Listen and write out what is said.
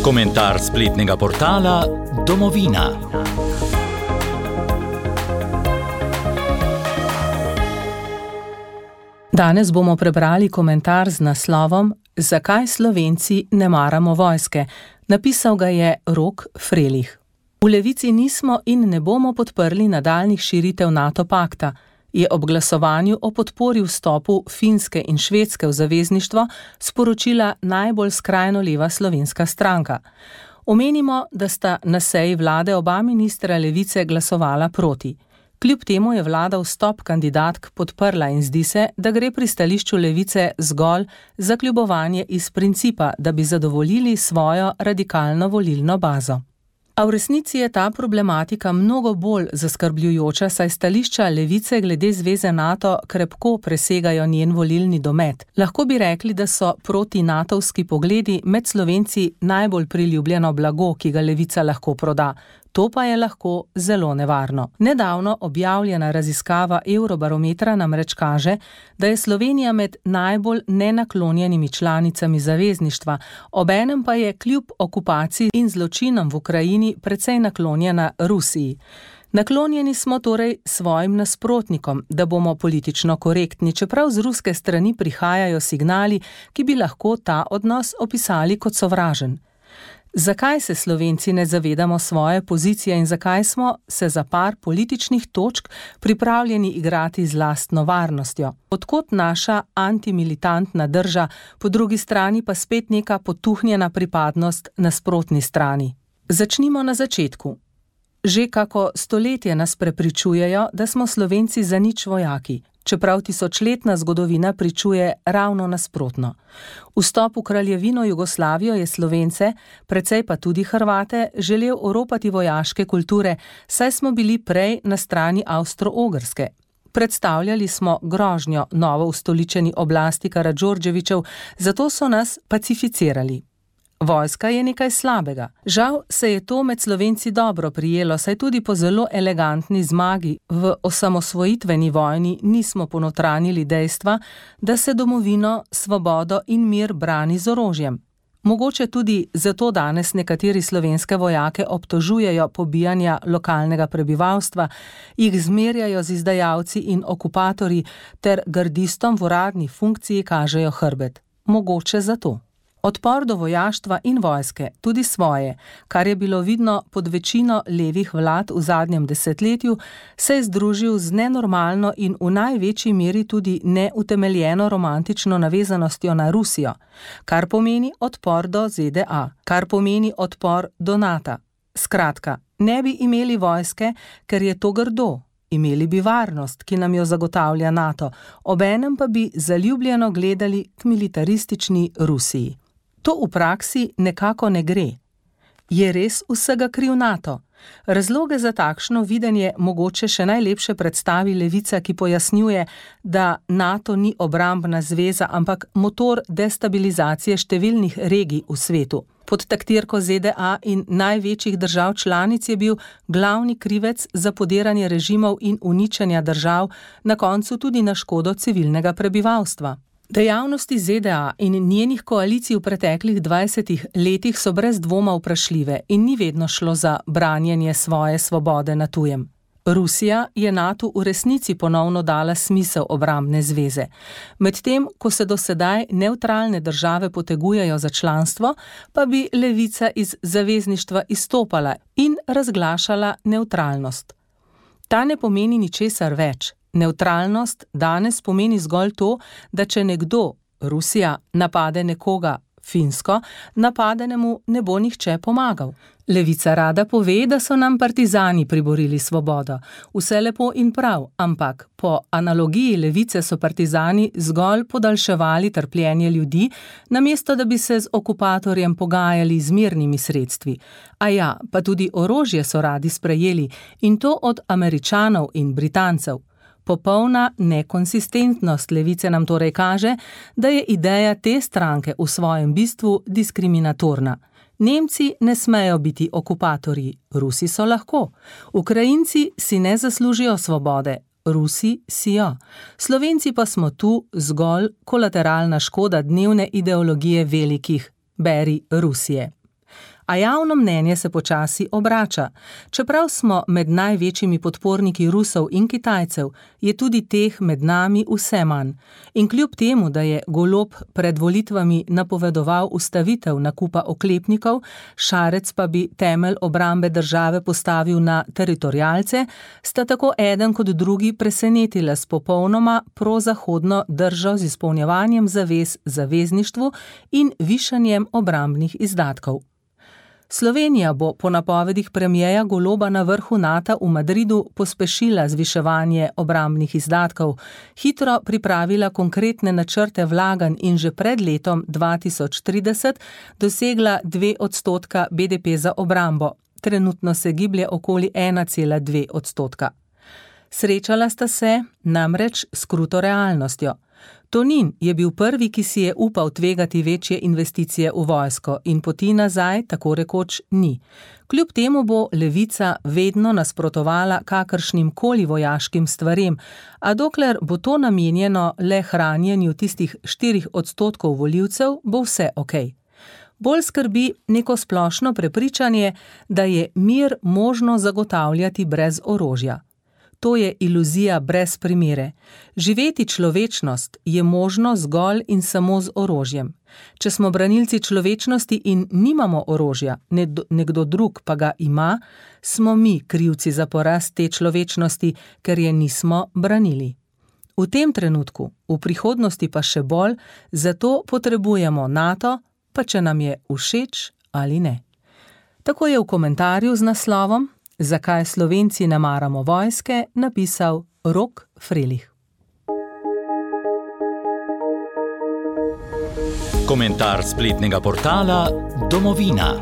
Komentar spletnega portala Domovina. Danes bomo prebrali komentar z naslovom Zakaj Slovenci ne maramo vojske? Napisal ga je Rok Frelih. V Levici nismo in ne bomo podprli nadaljnjih širitev NATO pakta, je ob glasovanju o podpori vstopu Finske in Švedske v zavezništvo sporočila najbolj skrajno leva slovenska stranka. Omenimo, da sta na seji vlade oba ministra Levice glasovala proti. Kljub temu je vlada vstop kandidatk podprla in zdi se, da gre pri stališču Levice zgolj za kljubovanje iz principa, da bi zadovoljili svojo radikalno volilno bazo. A v resnici je ta problematika mnogo bolj zaskrbljujoča, saj stališča Levice glede zveze NATO krepko presegajo njen volilni domet. Lahko bi rekli, da so proti-natovski pogledi med Slovenci najbolj priljubljeno blago, ki ga Levica lahko proda. To pa je lahko zelo nevarno. Nedavno objavljena raziskava Eurobarometra namreč kaže, da je Slovenija med najbolj nenaklonjenimi članicami zavezništva, obenem pa je kljub okupaciji in zločinom v Ukrajini precej naklonjena Rusiji. Naklonjeni smo torej svojim nasprotnikom, da bomo politično korektni, čeprav z ruske strani prihajajo signali, ki bi lahko ta odnos opisali kot sovražen. Zakaj se Slovenci ne zavedamo svoje pozicije in zakaj smo se za par političnih točk pripravljeni igrati z lastno varnostjo? Odkot naša antimilitantna drža, po drugi strani pa spet neka potuhnjena pripadnost nasprotni strani? Začnimo na začetku. Že kako stoletje nas prepričujejo, da smo Slovenci zanič vojaki, čeprav tisočletna zgodovina pričuje ravno nasprotno. Vstop v kraljevino Jugoslavijo je Slovence, precej pa tudi Hrvate, želel oropati vojaške kulture, saj smo bili prej na strani Avstro-Ogrske. Predstavljali smo grožnjo novo ustoličeni oblasti Karađorđevićev, zato so nas pacificirali. Vojska je nekaj slabega. Žal se je to med Slovenci dobro prijelo, saj tudi po zelo elegantni zmagi v osamosvojitveni vojni nismo ponotranili dejstva, da se domovino, svobodo in mir brani z orožjem. Mogoče tudi zato danes nekateri slovenske vojake obtožujejo pobijanja lokalnega prebivalstva, jih zmerjajo z izdajalci in okupatorji ter gardistom v uradni funkciji kažejo hrbet. Mogoče zato. Odpor do vojaštva in vojske, tudi svoje, kar je bilo vidno pod večino levih vlad v zadnjem desetletju, se je združil z nenormalno in v največji meri tudi neutemeljeno romantično navezanostjo na Rusijo, kar pomeni odpor do ZDA, kar pomeni odpor do NATO. Skratka, ne bi imeli vojske, ker je to grdo. Imeli bi varnost, ki nam jo zagotavlja NATO, obenem pa bi zaljubljeno gledali k militaristični Rusiji. To v praksi nekako ne gre. Je res vsega kriv NATO? Razloge za takšno videnje mogoče še najlepše predstavi Levica, ki pojasnjuje, da NATO ni obrambna zveza, ampak motor destabilizacije številnih regij v svetu. Pod taktirko ZDA in največjih držav članic je bil glavni krivec za podiranje režimov in uničenja držav, na koncu tudi na škodo civilnega prebivalstva. Dejavnosti ZDA in njenih koalicij v preteklih 20 letih so brez dvoma vprašljive in ni vedno šlo za branjenje svoje svobode na tujem. Rusija je NATO v resnici ponovno dala smisel obrambne zveze. Medtem, ko se do sedaj nevtralne države potegujejo za članstvo, pa bi Levica iz zavezništva izstopala in razglašala nevtralnost. Ta ne pomeni ničesar več. Nevtralnost danes pomeni zgolj to, da če nekdo, Rusija, napade nekoga, Finsko, napadenemu ne bo nihče pomagal. Levica rada pove, da so nam partizani priborili svobodo. Vse lepo in prav, ampak po analogiji Levice so partizani zgolj podaljševali trpljenje ljudi, namesto da bi se z okupatorjem pogajali z mirnimi sredstvi. A ja, pa tudi orožje so radi sprejeli in to od Američanov in Britancev. Popolna nekonsistentnost Levice nam torej kaže, da je ideja te stranke v svojem bistvu diskriminatorna. Nemci ne smejo biti okupatorji, Rusi so lahko. Ukrajinci si ne zaslužijo svobode, Rusi si jo. Slovenci pa smo tu zgolj kolateralna škoda dnevne ideologije velikih, beri Rusije. A javno mnenje se počasi obrača. Čeprav smo med največjimi podporniki Rusov in Kitajcev, je tudi teh med nami vse manj. In kljub temu, da je Golob pred volitvami napovedoval ustavitev nakupa oklepnikov, Šarec pa bi temelj obrambe države postavil na teritorialce, sta tako eden kot drugi presenetila s popolnoma prozahodno držo z izpolnjevanjem zavez zavezništvu in višanjem obrambnih izdatkov. Slovenija bo po napovedih premierja Goloba na vrhu NATO v Madridu pospešila zviševanje obrambnih izdatkov, hitro pripravila konkretne načrte vlaganj in že pred letom 2030 dosegla 2% BDP za obrambo. Trenutno se giblje okoli 1,2%. Srečala sta se namreč s kruto realnostjo. Tonin je bil prvi, ki si je upal tvegati večje investicije v vojsko in poti nazaj tako rekoč ni. Kljub temu bo levica vedno nasprotovala kakršnim koli vojaškim stvarem, a dokler bo to namenjeno le hranjenju tistih 4% volivcev, bo vse okej. Bolj skrbi neko splošno prepričanje, da je mir možno zagotavljati brez orožja. To je iluzija brez primere. Živeti človečnost je možno zgolj in samo z orožjem. Če smo branilci človečnosti in nimamo orožja, nekdo drug pa ga ima, smo mi krivci za poraz te človečnosti, ker je nismo branili. V tem trenutku, v prihodnosti pa še bolj, zato potrebujemo NATO, pa če nam je všeč ali ne. Tako je v komentarju z naslovom Zakaj Slovenci ne maramo vojske napisal Rok Frelih. Komentar spletnega portala Domovina.